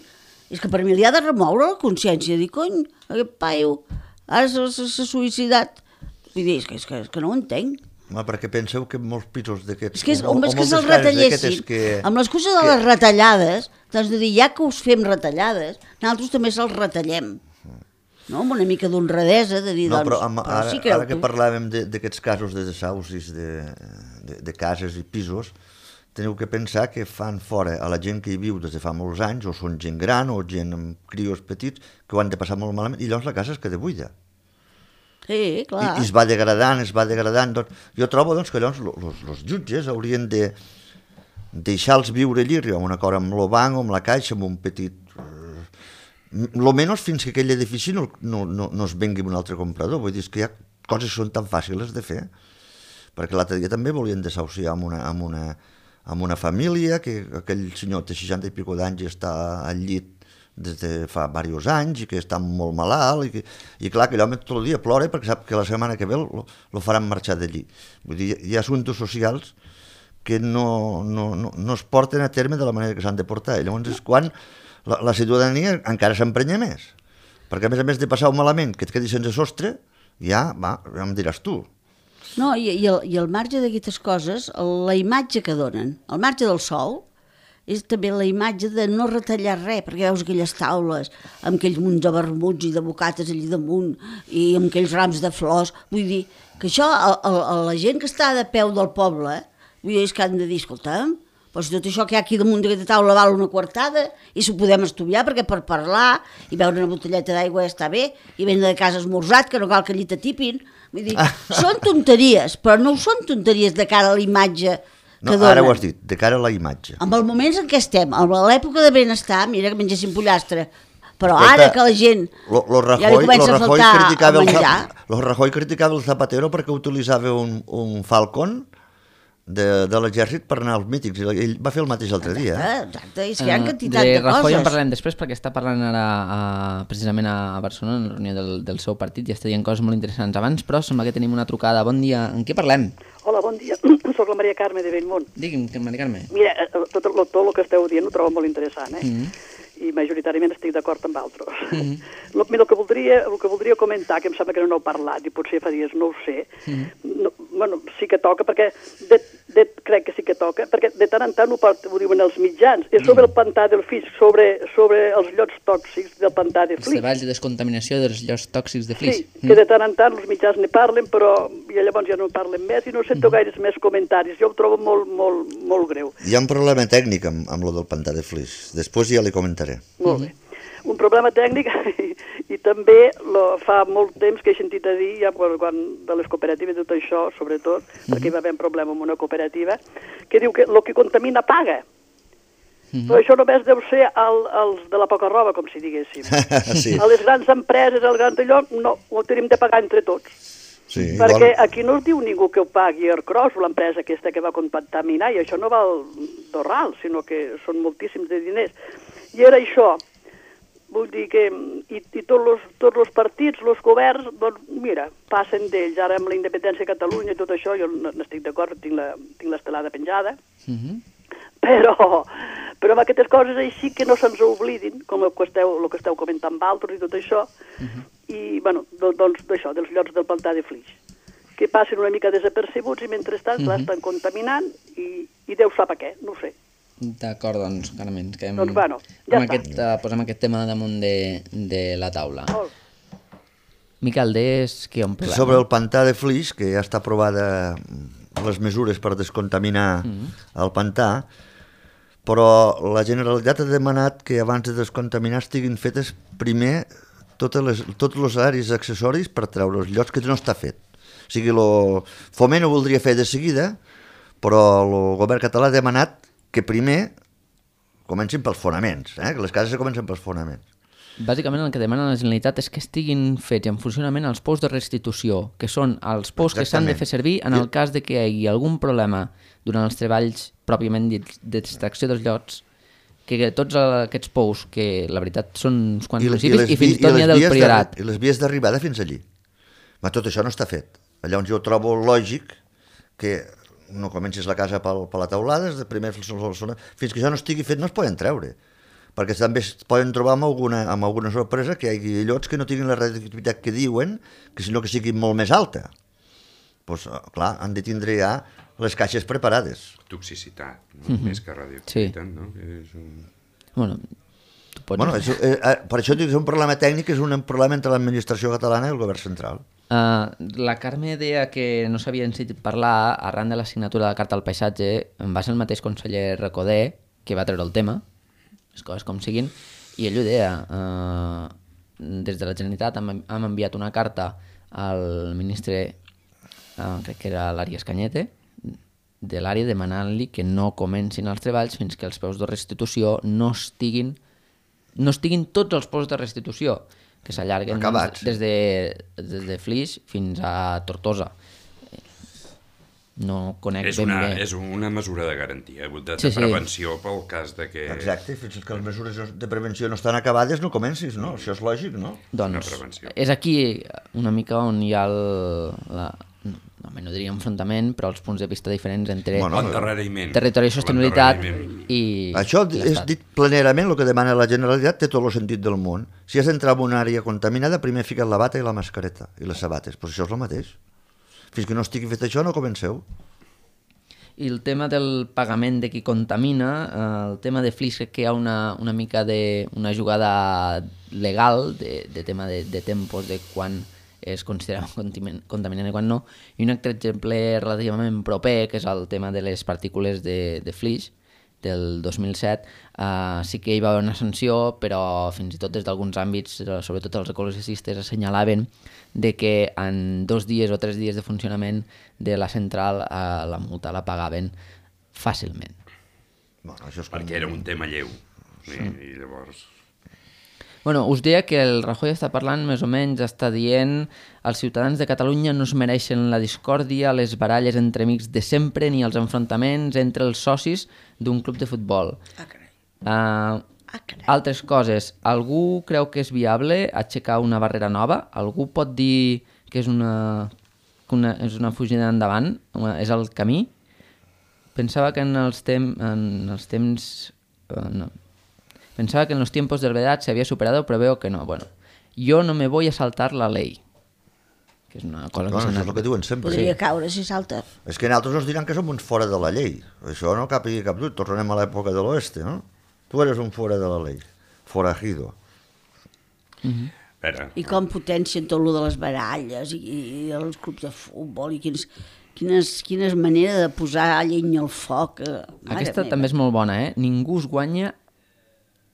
és que per mi li ha de remoure la consciència, dir, cony, aquest paio ara s'ha suïcidat. Vull dir, és que no ho entenc. Perquè penseu que molts pisos d'aquests... És que se'ls retallessin. Amb l'excusa de les retallades, t'has de dir, ja que us fem retallades, nosaltres també se'ls retallem. No? Amb una mica d'honradesa, de dir, doncs... Ara que parlàvem d'aquests casos de desaucis de cases i pisos, teniu que pensar que fan fora a la gent que hi viu des de fa molts anys, o són gent gran, o gent amb crios petits, que ho han de passar molt malament, i llavors la casa es queda buida. Sí, clar. I es va degradant. Jo trobo que llavors els jutges haurien de deixar-los viure allí, arribar a un acord amb el banc o amb la caixa, amb un petit... Lo menys fins que aquell edifici no es vengui un altre comprador. Vull dir, que hi ha coses que són tan fàcils de fer, perquè l'altre dia també volien desahuciar amb una família, que aquell senyor té 60 i escaig d'anys i està al llit des de fa diversos anys i que està molt malalt i clar, que l'home tot el dia plora perquè sap que la setmana que ve lo faran marxar d'allí. Vull dir, hi ha assumptes socials que no es porten a terme de la manera que s'han de portar. I llavors és quan la ciutadania encara s'emprenya més. Perquè a més de passar un malament que et quedi sense sostre, ja em diràs tu. No, i el marge d'aquestes coses, la imatge que donen, el marge del sou, és també la imatge de no retallar res, perquè veus aquelles taules amb aquells munts de vermuts i de bocates allà damunt i amb aquells rams de flors. Vull dir que això, la gent que està de peu del poble, vull dir, és que han de dir, escolta'm, però si tot això que hi ha aquí damunt d'aquesta taula val una quartada i s'ho podem estudiar, perquè per parlar i beure una botelleta d'aigua ja està bé, i vendre de casa esmorzat, que no cal que allí t'atipin. Vull dir, són tonteries, però no són tonteries de cara a la imatge. No, ara ho has dit, de cara a la imatge. Amb els moments en què estem, a l'època de benestar, mira que mengessin pollastre, però ara que la gent ja li comença a faltar el menjar... Rajoy criticava el Zapatero perquè utilitzava un Falcon de l'exèrcit per anar als mítings, i ell va fer el mateix l'altre dia. Exacte, és que hi ha quantitat de coses. De Rajoy en parlem després perquè està parlant ara precisament a Barcelona en la reunió del seu partit i està dient coses molt interessants. Abans, però, sembla que tenim una trucada. Bon dia, en què parlem? Hola, bon dia. Soc la Maria Carme de Bellmunt. Digui'm, Maria Carme. Mira, tot el que esteu dient ho trobo molt interessant, i majoritàriament estic d'acord amb altres. El que voldria comentar, que em sembla que no n'heu parlat, i potser fa dies no ho sé, bueno, sí que toca, perquè crec que sí que toca, perquè de tant en tant ho diuen els mitjans, és sobre el pantà del Flix, sobre els llots tòxics del pantà de Flix. Els treballs de descontaminació dels llots tòxics de Flix. Sí, que de tant en tant els mitjans ne parlen, però llavors ja no parlen més i no sento gaires més comentaris. Jo ho trobo molt greu. Hi ha un problema tècnic amb lo del pantà de Flix. Després ja li comentaré. Molt bé. Un problema tècnic i també fa molt temps que he sentit a dir, ja quan de les cooperatives i tot això, sobretot, perquè hi va haver un problema amb una cooperativa, que diu que el que contamina paga. Però això només deu ser els de la poca roba, com si diguéssim. Sí. A les grans empreses, al gran allò, no, ho tenim de pagar entre tots. Sí, perquè aquí no es diu ningú que ho pagui Ercros, l'empresa aquesta que va contaminar, i això no val d'orral, sinó que són moltíssims de diners. I era això. Vull dir que i tots els partits, els governs, doncs mira, passen d'ells. Ara amb la independència de Catalunya i tot això, jo n'estic d'acord, tinc l'estelada penjada, però amb aquestes coses així que no se'ns oblidin, com el que esteu comentant altres i tot això, i bueno, doncs d'això, dels llocs del pantà de Flix, que passen una mica desapercebuts i mentrestant l'estan contaminant i Déu sap a què, no ho sé. D'acord, doncs, Carmen, que doncs bueno, ja posem aquest tema damunt de la taula. Miquel, què on parlem? Sobre el pantà de Flix, que ja està aprovada les mesures per descontaminar el pantà, però la Generalitat ha demanat que abans de descontaminar estiguin fetes primer tots els aris accessoris per treure els llocs que no està fet. O sigui, el Foment ho voldria fer de seguida, però el govern català ha demanat que primer comencin pels fonaments, que les cases comencen pels fonaments. Bàsicament el que demana la Generalitat és que estiguin fets en funcionament els pous de restitució, que són els pous que s'han de fer servir en el cas de que hi hagi algun problema durant els treballs pròpiament d'extracció dels llots, que tots aquests pous, que la veritat són uns quants municipis, i fins i tot n'hi ha del Priorat. I les vies d'arribada fins allí. Però tot això no està fet. Llavors jo trobo lògic que no comencis la casa per la teulada, primer fins que això no estigui fet no es poden treure, perquè també es poden trobar amb alguna sorpresa que hi hagi llots que no tinguin la radioactivitat que diuen, sinó que siguin molt més alta. Doncs, clar, han de tindre ja les caixes preparades. Toxicitat, més que radioactivitat, no? Bueno, per això dic que és un problema tècnic, és un problema entre l'administració catalana i el govern central. La Carme deia que no s'havien sentit parlar arran de la signatura de la Carta al Paisatge. Va ser el mateix conseller Recoder que va treure el tema, les coses com siguin, i ell ho deia. Des de la Generalitat hem enviat una carta al ministre, crec que era l'Àries Cañete, de l'àrea, demanant-li que no comencin els treballs fins que els peus de restitució no estiguin tots els pous de restitució, que s'allarguen des de Flix fins a Tortosa. No conec ben bé. És una mesura de garantia, de prevenció pel cas de que... Exacte, fins que les mesures de prevenció no estan acabades no comencis, no? Això és lògic, no? Doncs és aquí una mica on hi ha no diria enfrontament, però els punts de vista diferents entre L'endarreriment. territori i sostenibilitat i Això és l'estat. dit planerament, el que demana la Generalitat té tot el sentit del món. Si has d'entrar en una àrea contaminada, primer fica't la bata i la mascareta i les sabates, però això és el mateix. Fins que no estigui fet això no comenceu. I el tema del pagament de qui contamina, el tema de Flix, crec que hi ha una mica una jugada legal de tema de tempos, de quan es considera contaminant i quan no. I un altre exemple relativament proper, que és el tema de les partícules de Flix, del 2007, sí que hi va haver una sanció, però fins i tot des d'alguns àmbits, sobretot els ecologistes, assenyalaven de que en 2 dies o 3 dies de funcionament de la central la multa la pagaven fàcilment. Bueno, això és Perquè era un tema lleu. I llavors... Bueno, us deia que el Rajoy està parlant, més o menys, està dient els ciutadans de Catalunya no es mereixen la discòrdia, les baralles entre amics de sempre, ni els enfrontaments entre els socis d'un club de futbol. Altres coses. Algú creu que és viable aixecar una barrera nova? Algú pot dir que és una fugida endavant? És el camí? Pensava que en els temps... Pensaba que en los tiempos de verdad se había superado, pero veo que no. Bueno, yo no me voy a saltar la ley. Que és una cosa que això és el que diuen sempre. Podria caure si salta. És que nosaltres ens diran que som uns fora de la llei. Això no cap dubte. Tornem a l'època de l'oeste, no? Tu eres un fora de la llei. Forajido. I com potencien tot lo de les baralles i els clubs de futbol i quines manera de posar llenya al foc. Aquesta també és molt bona, eh? Ningú es guanya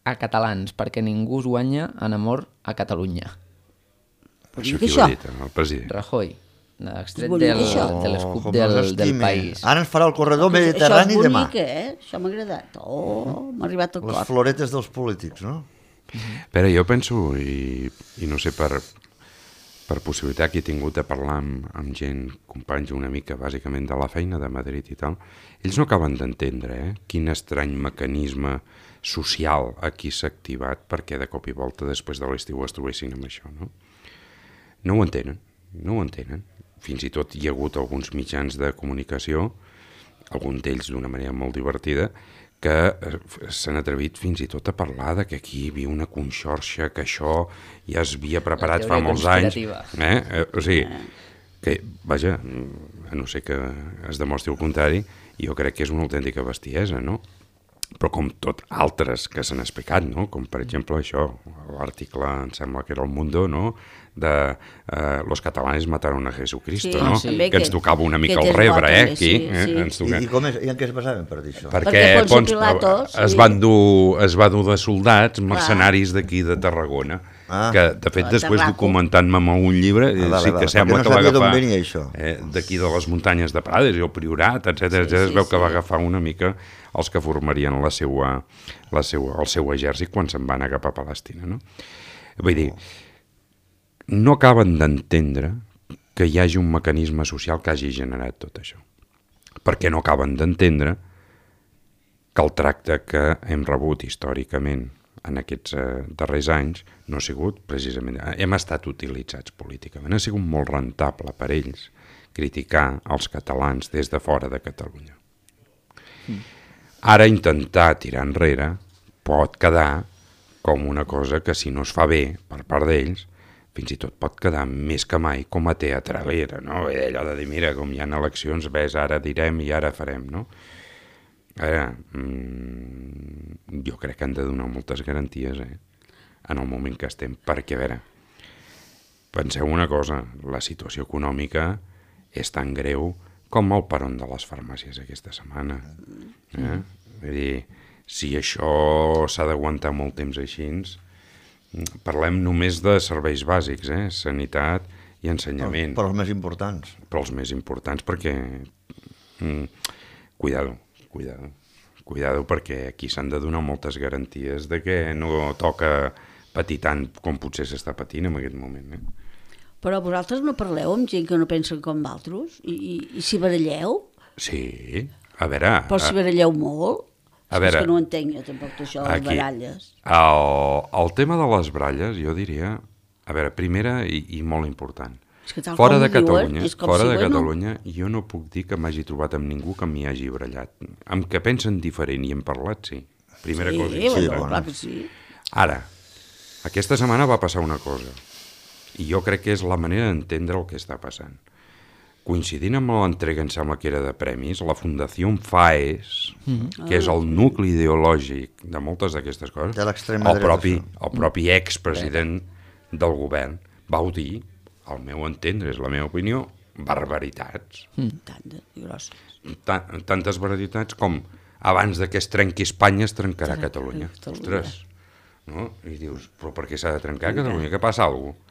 a catalans, perquè ningú es guanya en amor a Catalunya. Això qui ho ha dit, el president? Rajoy, extret bonic, de l'escup del país. Ara ens farà el corredor mediterrani demà. Això és bonic, Això m'ha agradat. M'ha arribat al cor. Les floretes dels polítics, no? Però jo penso, i no sé, per possibilitat que he tingut de parlar amb gent, companys una mica bàsicament de la feina de Madrid i tal, ells no acaben d'entendre quin estrany mecanisme social aquí s'ha activat perquè de cop i volta després de l'estiu es trobessin amb això, no? No ho entenen. Fins i tot hi ha hagut alguns mitjans de comunicació, alguns d'ells d'una manera molt divertida, que s'han atrevit fins i tot a parlar de que aquí hi havia una conxorxa, que això ja es havia preparat fa molts anys. O sigui, que, vaja, a no ser que es demostri el contrari, jo crec que és una autèntica bestiesa, no? Però com tot altres que s'han explicat, no? Com per exemple això, l'article, em sembla que era El Mundo, no? De los catalanes mataron a Jesucristo, no? Sí, que ens tocava una mica el rebre, aquí. Sí. I en què es basaven per dir això? Perquè es van dur de soldats, mercenaris d'aquí de Tarragona, que de fet després documentant-me amb un llibre, sí que sembla que va agafar d'aquí de les muntanyes de Prades i el Priorat, etc. Es veu que va agafar una mica els que formarien el seu exèrcit quan se'n van anar cap a Palestina, no? Vull dir, no acaben d'entendre que hi hagi un mecanisme social que hagi generat tot això. Perquè no acaben d'entendre que el tracte que hem rebut històricament en aquests darrers anys no ha sigut precisament... Hem estat utilitzats políticament, ha sigut molt rentable per ells criticar els catalans des de fora de Catalunya. Ara intentar tirar enrere pot quedar com una cosa que si no es fa bé per part d'ells, fins i tot pot quedar més que mai com a teatralera, no? Allò de dir, mira, com hi ha eleccions, ves, ara direm i ara farem, no? Ara, jo crec que han de donar moltes garanties, en el moment que estem, perquè, a veure, penseu una cosa, la situació econòmica és tan greu com el peron de les farmàcies aquesta setmana. Vull dir, si això s'ha d'aguantar molt temps així, parlem només de serveis bàsics, sanitat i ensenyament. Però els més importants. Però els més importants perquè... Cuidado, perquè aquí s'han de donar moltes garanties de que no toca patir tant com potser s'està patint en aquest moment. Però vosaltres no parleu amb gent que no pensen com vosaltres? I si baralleu? Sí, a veure... Però si baralleu molt? És que no ho entenc jo tampoc això, les baralles. El tema de les baralles, jo diria... A veure, primera i molt important. Fora de Catalunya, jo no puc dir que m'hagi trobat amb ningú que m'hi hagi brallat. Amb que pensen diferent i hem parlat, sí. Primera cosa. Sí, clar que sí. Ara, aquesta setmana va passar una cosa, i jo crec que és la manera d'entendre el que està passant. Coincidint amb l'entrega, em sembla que era de premis, la Fundació FAES, que és el nucli ideològic de moltes d'aquestes coses, el propi expresident del govern va dir, al meu entendre, és la meva opinió, barbaritats. Tantes barbaritats com abans que es trenqui Espanya es trencarà Catalunya. Ostres, no? I dius, però per què s'ha de trencar Catalunya? Què passa alguna cosa?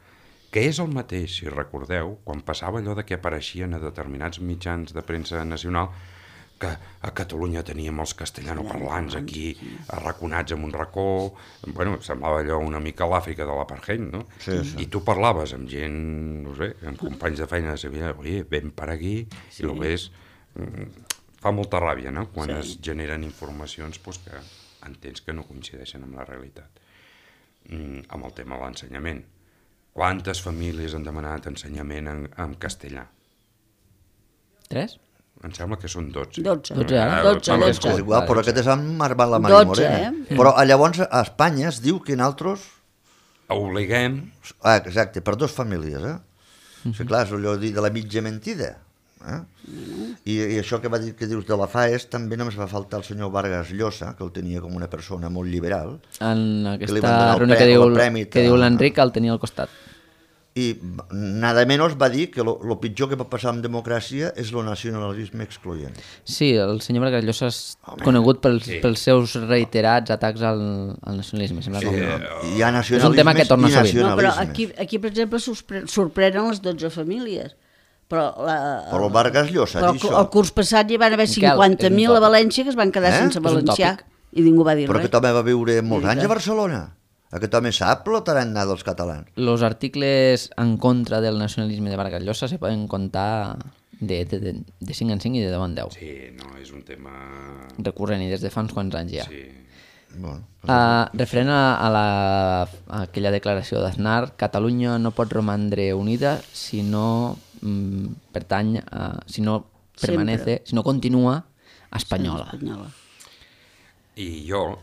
Que és el mateix, si recordeu, quan passava allò de que apareixien a determinats mitjans de premsa nacional que a Catalunya teníem els castellanoparlants aquí arraconats en un racó, bueno, semblava allò una mica l'Àfrica de l'apartheid, no? Sí. I tu parlaves amb gent, no sé, amb companys de feina de Sevilla, oi, ven per aquí, i el ves... Fa molta ràbia, no?, quan es generen informacions que entens que no coincideixen amb la realitat. Amb el tema de l'ensenyament. Quantes famílies han demanat ensenyament en castellà? 3? Em sembla que són 12. 12. És igual, però aquest és amb la Maria Morena. Però llavors a Espanya es diu que nosaltres... Obliguem... Exacte, per 2 famílies, Sí, clar, és allò de la mitja mentida. I això que dius de la FAES també només va faltar el senyor Vargas Llosa, que el tenia com una persona molt liberal. En aquesta reunió que diu l'Enric el tenia al costat. I nada menys va dir que el pitjor que pot passar amb democràcia és el nacionalisme excloent. Sí, el senyor Vargas Llosa és conegut pels seus reiterats atacs al nacionalisme. Hi ha nacionalisme és un tema que torna sovint. No, però aquí, per exemple, sorprenen les 12 famílies. Però el Vargas Llosa ha dit això. El curs passat hi van haver 50.000 a València que es van quedar sense valencià i ningú va dir res. Però aquest home va viure molts anys a Barcelona. Aquest home sap el tarannà dels catalans. Els articles en contra del nacionalisme de Vargas Llosa se poden contar de 5 en 5 i de 10 en 10. Sí, no, és un tema... recurrent i des de fa uns quants anys ja. Sí. Bueno, referent a aquella declaració d'Aznar, Catalunya no pot romandre unida si no pertany, si no permanece, si no continua espanyola. I jo,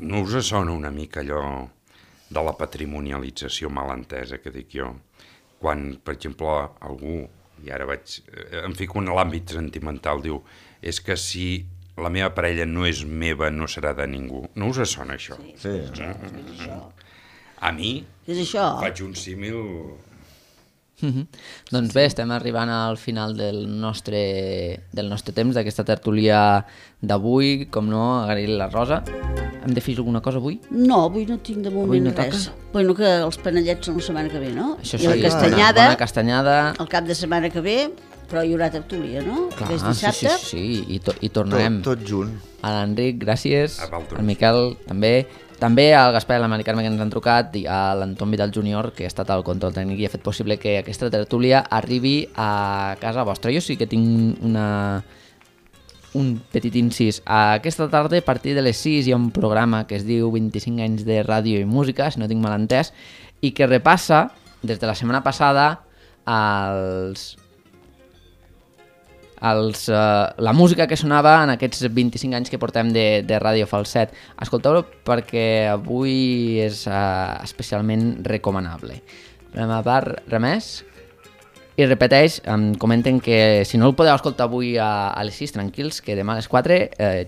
no us sona una mica allò de la patrimonialització malentesa que dic jo? Quan, per exemple, algú, i ara em fico en l'àmbit sentimental, diu, és que si la meva parella no és meva, no serà de ningú. No us sona això? Sí. A mi faig un símil... Doncs bé, estem arribant al final del nostre temps, d'aquesta tertúlia d'avui. Com no, agrair la Rosa. Hem de fer alguna cosa avui? No, avui no tinc de moment res. Bueno, que els panellets són la setmana que ve, no? Això sí, la castanyada, bona castanyada. El cap de setmana que ve, però hi haurà tertúlia, no? Clar, sí, i tornarem. Tot junt. A l'Enric, gràcies. Al Miquel, també. També al Gaspar i a la Mari Carme que ens han trucat i a l'Anton Vidal Júnior, que ha estat al control tècnic i ha fet possible que aquesta tertúlia arribi a casa vostra. Jo sí que tinc un petit incís. Aquesta tarda, a partir de les 6, hi ha un programa que es diu 25 anys de ràdio i música, si no tinc mal entès, i que repassa, des de la setmana passada, la música que sonava en aquests 25 anys que portem de Ràdio Falset. Escolteu-lo perquè avui és especialment recomanable. Per la meva part, res més. I repeteix, em comenten que si no el podeu escoltar avui a les 6, tranquils, que demà a les 4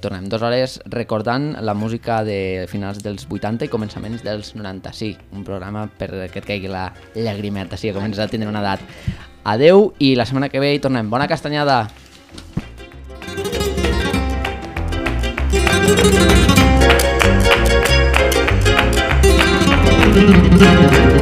tornem 2 hores recordant la música de finals dels 80 i començaments dels 90. Sí, un programa per que et caigui la llagrimeta, sí, que comences a tindre una edat. Adeu i la setmana que ve hi tornem. Bona castanyada! Thank you.